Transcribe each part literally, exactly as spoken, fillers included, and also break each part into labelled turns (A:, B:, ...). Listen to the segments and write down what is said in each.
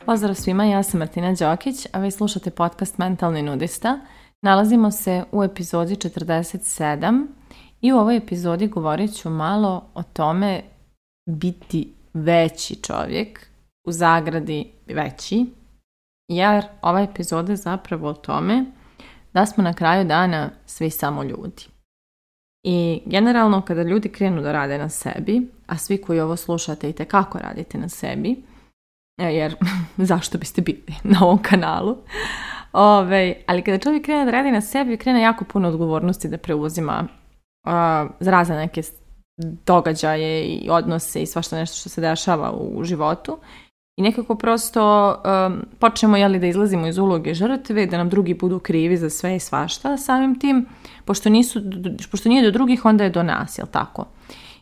A: Pozdrav svima, ja sam Martina Đokić, a vi slušate podcast Mentalni nudista. Nalazimo se u epizodi četrdeset sedam i u ovoj epizodi govorit ću malo o tome biti veći čovjek, u zagradi veći, jer ova epizoda je zapravo o tome da smo na kraju dana svi samo ljudi. I generalno kada ljudi krenu da rade na sebi, a svi koji ovo slušate itekako radite na sebi, jer zašto biste bili na ovom kanalu, Ove, ali kada čovjek krene da radi na sebi, krene jako puno odgovornosti da preuzima uh, za razne neke događaje i odnose i svašta nešto što se dešava u životu. I nekako prosto um, počnemo jeli, da izlazimo iz uloge žrtve, da nam drugi budu krivi za sve i svašta. Samim tim, pošto, nisu, pošto nije do drugih, onda je do nas, jel tako?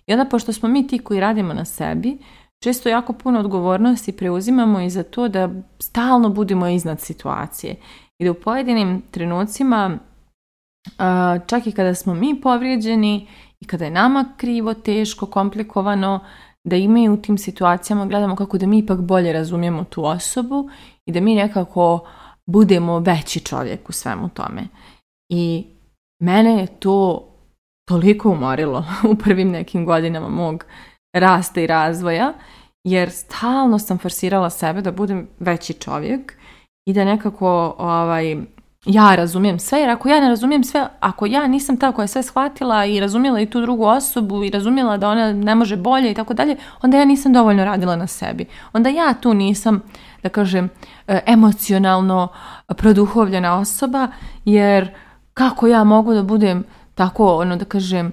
A: I onda, pošto smo mi ti koji radimo na sebi, često jako puno odgovornosti preuzimamo i za to da stalno budemo iznad situacije. I da u pojedinim trenucima, čak i kada smo mi povrijeđeni i kada je nama krivo, teško, komplikovano, da i mi u tim situacijama gledamo kako da mi ipak bolje razumijemo tu osobu i da mi nekako budemo veći čovjek u svemu tome. I mene je to toliko umorilo u prvim nekim godinama mog rasta i razvoja, jer stalno sam forsirala sebe da budem veći čovjek i da nekako ovaj, ja razumijem sve, jer ako ja ne razumijem sve, ako ja nisam ta koja je sve shvatila i razumjela i tu drugu osobu i razumjela da ona ne može bolje i tako dalje, onda ja nisam dovoljno radila na sebi. Onda ja tu nisam, da kažem, emocionalno produhovljena osoba, jer kako ja mogu da budem tako, ono da kažem,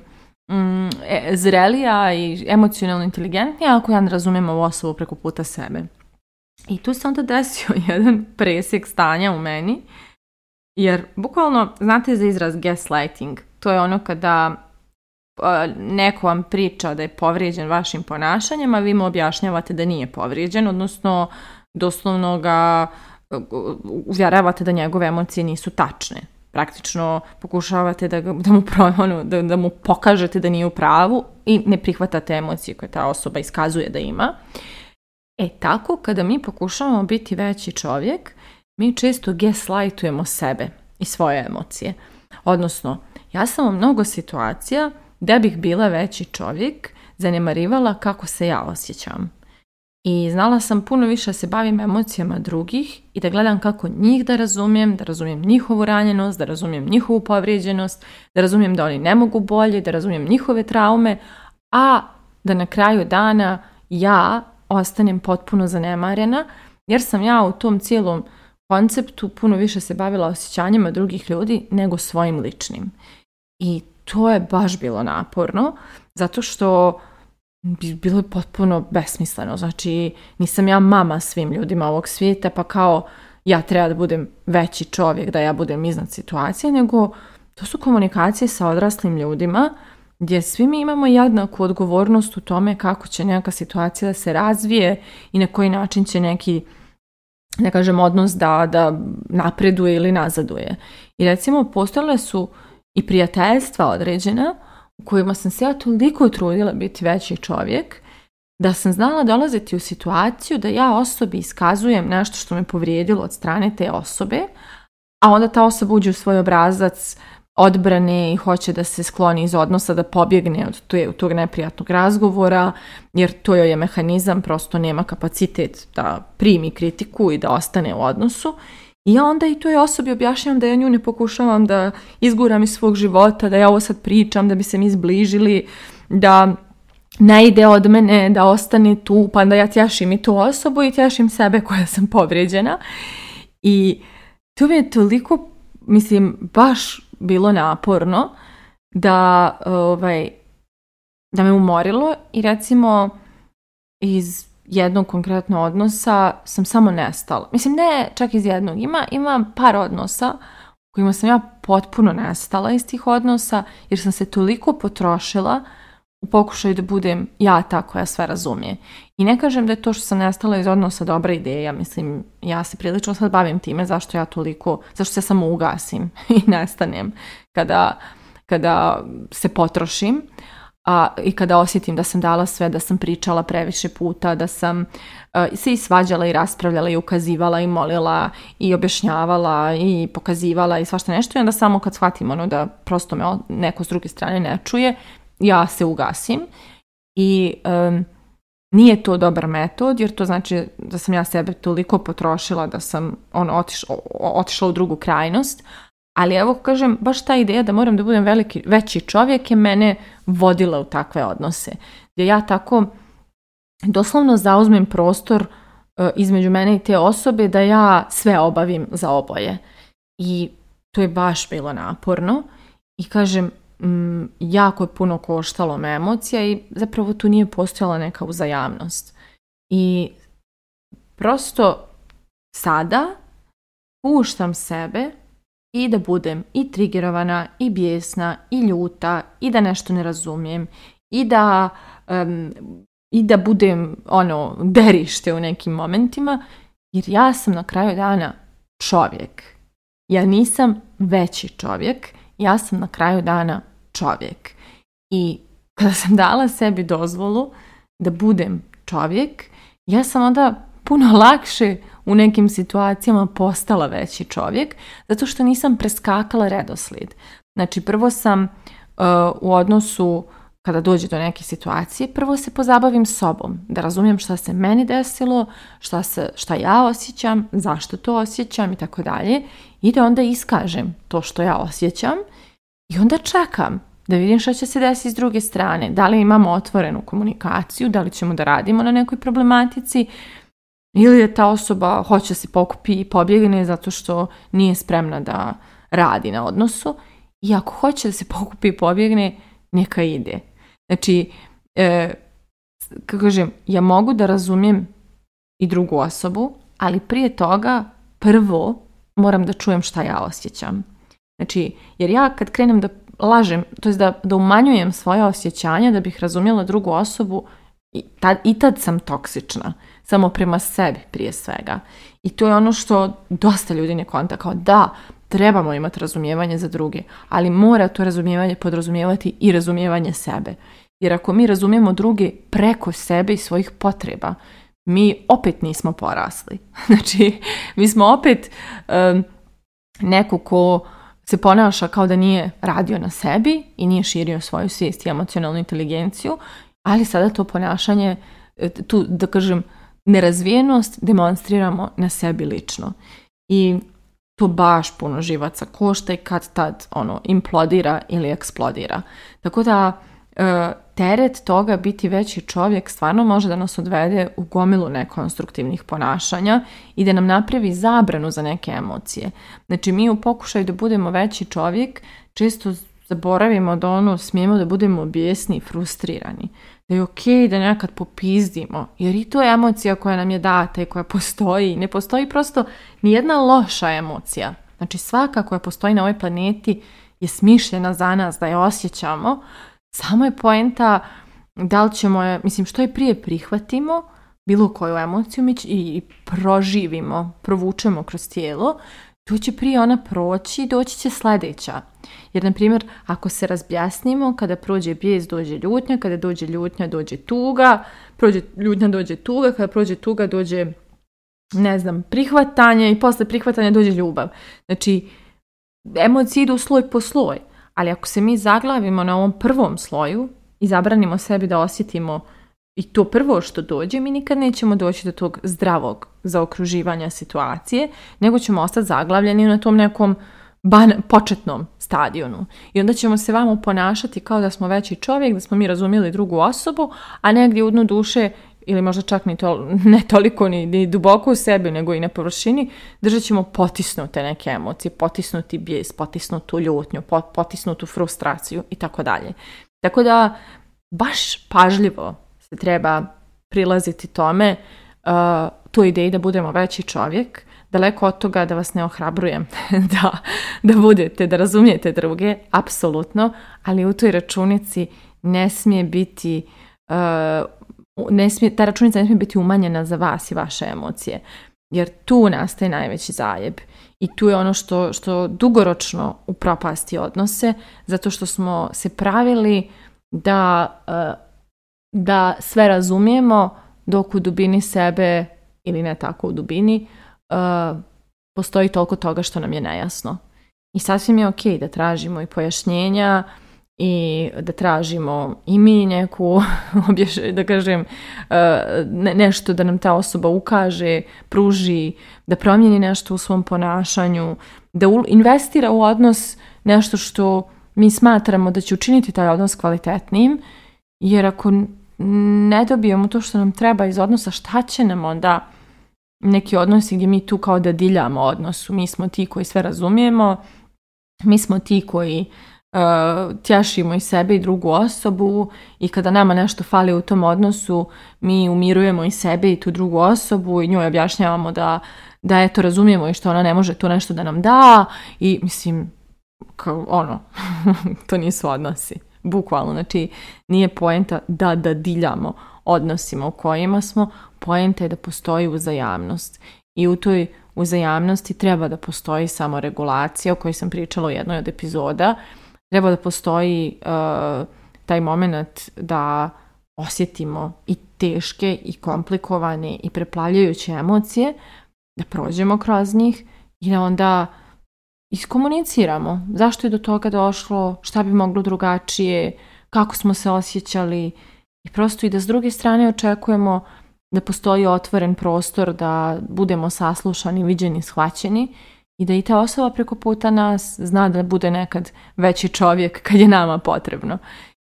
A: Mm, zrelija i emocionalno inteligentnija ako ja ne razumijem ovu osobu preko puta sebe. I tu se onda desio jedan presjek stanja u meni, jer bukvalno, znate za izraz gaslighting, to je ono kada uh, neko vam priča da je povrijeđen vašim ponašanjem, a vi mu objašnjavate da nije povrijeđen, odnosno doslovno ga uh, uvjeravate da njegove emocije nisu tačne. Praktično pokušavate da, da, mu, ono, da, da mu pokažete da nije u pravu i ne prihvatate emocije koje ta osoba iskazuje da ima. E tako, kada mi pokušavamo biti veći čovjek, mi često gaslightujemo sebe i svoje emocije. Odnosno, ja sam u mnogo situacija da bih bila veći čovjek zanemarivala kako se ja osjećam. I znala sam puno više da se bavim emocijama drugih i da gledam kako njih da razumijem, da razumijem njihovu ranjenost, da razumijem njihovu povrijeđenost, da razumijem da oni ne mogu bolje, da razumijem njihove traume, a da na kraju dana ja ostanem potpuno zanemarena, jer sam ja u tom cijelom konceptu puno više se bavila osjećanjima drugih ljudi nego svojim ličnim. I to je baš bilo naporno, zato što bilo je potpuno besmisleno. Znači, nisam ja mama svim ljudima ovog svijeta, pa kao ja treba da budem veći čovjek, da ja budem iznad situacije, nego to su komunikacije sa odraslim ljudima, gdje svi mi imamo jednaku odgovornost u tome kako će neka situacija da se razvije i na koji način će neki, ne kažem, odnos da, da napreduje ili nazaduje. I recimo, postojale su i prijateljstva određena, u kojima sam se ja toliko trudila biti veći čovjek, da sam znala dolaziti u situaciju da ja osobi iskazujem nešto što me povrijedilo od strane te osobe, a onda ta osoba uđe u svoj obrazac odbrane i hoće da se skloni iz odnosa, da pobjegne od tog neprijatnog razgovora, jer to joj je mehanizam, prosto nema kapacitet da primi kritiku i da ostane u odnosu. I ja onda i toj osobi objašnjam da ja nju ne pokušavam da izguram iz svog života, da ja ovo sad pričam, da bi se mi zbližili, da ne ide od mene, da ostane tu, pa da ja tješim i tu osobu i tješim sebe koja sam povrijeđena. I to mi je toliko, mislim, baš bilo naporno da, ovaj, da me umorilo i recimo iz jednog konkretnog odnosa sam samo nestala. Mislim, ne čak iz jednog. Ima, ima par odnosa u kojima sam ja potpuno nestala iz tih odnosa, jer sam se toliko potrošila u pokušaju da budem ja ta koja sve razumije. I ne kažem da je to što sam nestala iz odnosa dobra ideja. Mislim, ja se prilično sad bavim time zašto ja toliko, zašto se samo ugasim i nestanem kada kada se potrošim a, i kada osjetim da sam dala sve, da sam pričala previše puta, da sam a, se i svađala i raspravljala i ukazivala i molila i objašnjavala i pokazivala i svašta nešto i onda samo kad shvatim ono da prosto me neko s druge strane ne čuje, ja se ugasim i um, nije to dobar metod jer to znači da sam ja sebe toliko potrošila da sam ono, otišla, otišla u drugu krajnost. Ali evo kažem, baš ta ideja da moram da budem veliki, veći čovjek je mene vodila u takve odnose. Gdje ja tako doslovno zauzmem prostor uh, između mene i te osobe da ja sve obavim za oboje. I to je baš bilo naporno. I kažem, m, jako je puno koštalo me emocija i zapravo tu nije postojala neka uzajamnost. I prosto sada puštam sebe i da budem i trigerovana, i bijesna, i ljuta, i da nešto ne razumijem, i da, um, i da budem ono, derište u nekim momentima, jer ja sam na kraju dana čovjek. Ja nisam veći čovjek, ja sam na kraju dana čovjek. I kada sam dala sebi dozvolu da budem čovjek, ja sam onda puno lakše u nekim situacijama postala veći čovjek, zato što nisam preskakala redoslijed. Znači, prvo sam uh, u odnosu, kada dođe do neke situacije, prvo se pozabavim sobom, da razumijem šta se meni desilo, šta, se, šta ja osjećam, zašto to osjećam i tako dalje, i da onda iskažem to što ja osjećam i onda čekam da vidim šta će se desiti s druge strane, da li imamo otvorenu komunikaciju, da li ćemo da radimo na nekoj problematici, ili je ta osoba hoće se pokupi i pobjegne zato što nije spremna da radi na odnosu. I ako hoće da se pokupi i pobjegne, neka ide. Znači, e, kako kažem, ja mogu da razumijem i drugu osobu, ali prije toga prvo moram da čujem šta ja osjećam. Znači, jer ja kad krenem da lažem, to jest da, da umanjujem svoje osjećanja da bih razumjela drugu osobu, i tad, i tad sam toksična. Samo prema sebi prije svega. I to je ono što dosta ljudi ne konta, kao da, trebamo imati razumijevanje za druge, ali mora to razumijevanje podrazumijevati i razumijevanje sebe. Jer ako mi razumijemo druge preko sebe i svojih potreba, mi opet nismo porasli. Znači, mi smo opet um, neko ko se ponaša kao da nije radio na sebi i nije širio svoju svijest i emocionalnu inteligenciju, ali sada to ponašanje, tu da kažem, nerazvijenost demonstriramo na sebi lično. I to baš puno živaca košta i kad tad ono, implodira ili eksplodira. Tako da e, teret toga biti veći čovjek stvarno može da nas odvede u gomilu nekonstruktivnih ponašanja i da nam napravi zabranu za neke emocije. Znači mi u pokušaju da budemo veći čovjek često zaboravimo da ono smijemo da budemo bijesni i frustrirani. Da je okej da nekad popizdimo, jer i to je emocija koja nam je data i koja postoji. Ne postoji prosto nijedna loša emocija. Znači svaka koja postoji na ovoj planeti je smišljena za nas da je osjećamo. Samo je poenta da li ćemo je, mislim što je prije prihvatimo, bilo koju emociju mi i proživimo, provučemo kroz tijelo, to će prije ona proći i doći će sljedeća. Jer, na primjer, ako se razbjasnimo, kada prođe bijes, dođe ljutnja, kada dođe ljutnja, dođe tuga, prođe ljutnja, dođe tuga, kada prođe tuga, dođe, ne znam, prihvatanje i posle prihvatanja dođe ljubav. Znači, emocije idu sloj po sloj, ali ako se mi zaglavimo na ovom prvom sloju i zabranimo sebi da osjetimo i to prvo što dođe, mi nikad nećemo doći do tog zdravog zaokruživanja situacije, nego ćemo ostati zaglavljeni na tom nekom ban- početnom stadionu. I onda ćemo se vamo ponašati kao da smo veći čovjek, da smo mi razumjeli drugu osobu, a negdje u dnu duše, ili možda čak ni to, ne toliko ni, ni duboko u sebi, nego i na površini, držat ćemo potisnute neke emocije, potisnuti bijes, potisnutu ljutnju, potisnutu frustraciju i tako dalje. Tako da, baš pažljivo se treba prilaziti tome, uh, toj ideji da budemo veći čovjek, daleko od toga da vas ne ohrabrujem da, da budete, da razumijete druge, apsolutno, ali u toj računici ne smije biti, uh, ne smije, ta računica ne smije biti umanjena za vas i vaše emocije, jer tu nastaje najveći zajeb. I tu je ono što, što dugoročno upropasti odnose, zato što smo se pravili da, da sve razumijemo, dok u dubini sebe, ili ne tako u dubini, postoji toliko toga što nam je nejasno. I sasvim je ok da tražimo i pojašnjenja i da tražimo i mi neku, da kažem, nešto da nam ta osoba ukaže, pruži, da promijeni nešto u svom ponašanju, da investira u odnos nešto što mi smatramo da će učiniti taj odnos kvalitetnijim, jer ako ne dobijemo to što nam treba iz odnosa, šta će nam onda neki odnosi gdje mi tu kao da diljamo odnosu? Mi smo ti koji sve razumijemo, mi smo ti koji uh, tješimo i sebe i drugu osobu i kada nama nešto fali u tom odnosu, mi umirujemo i sebe i tu drugu osobu i njoj objašnjavamo da, da eto razumijemo i što ona ne može tu nešto da nam da i mislim, kao ono, to nisu odnosi. Bukvalno, znači nije poenta da da diljamo odnosima u kojima smo, poenta je da postoji uzajamnost. I u toj uzajamnosti treba da postoji samoregulacija o kojoj sam pričala u jednoj od epizoda. Treba da postoji uh, taj moment da osjetimo i teške i komplikovane i preplavljajuće emocije, da prođemo kroz njih i da onda iskomuniciramo zašto je do toga došlo, šta bi moglo drugačije, kako smo se osjećali i prosto i da s druge strane očekujemo da postoji otvoren prostor, da budemo saslušani, viđeni, shvaćeni i da i ta osoba preko puta nas zna da bude nekad veći čovjek kad je nama potrebno.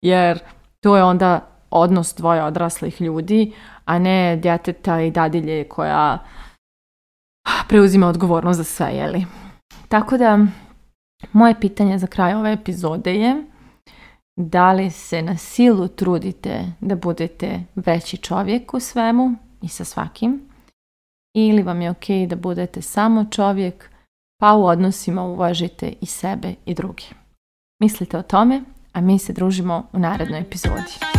A: Jer to je onda odnos dvoje odraslih ljudi, a ne djeteta i dadilje koja preuzima odgovornost za sve, jeli? Tako da, moje pitanje za kraj ove epizode je da li se na silu trudite da budete veći čovjek u svemu i sa svakim ili vam je ok da budete samo čovjek pa u odnosima uvažite i sebe i druge. Mislite o tome, a mi se družimo u narednoj epizodi.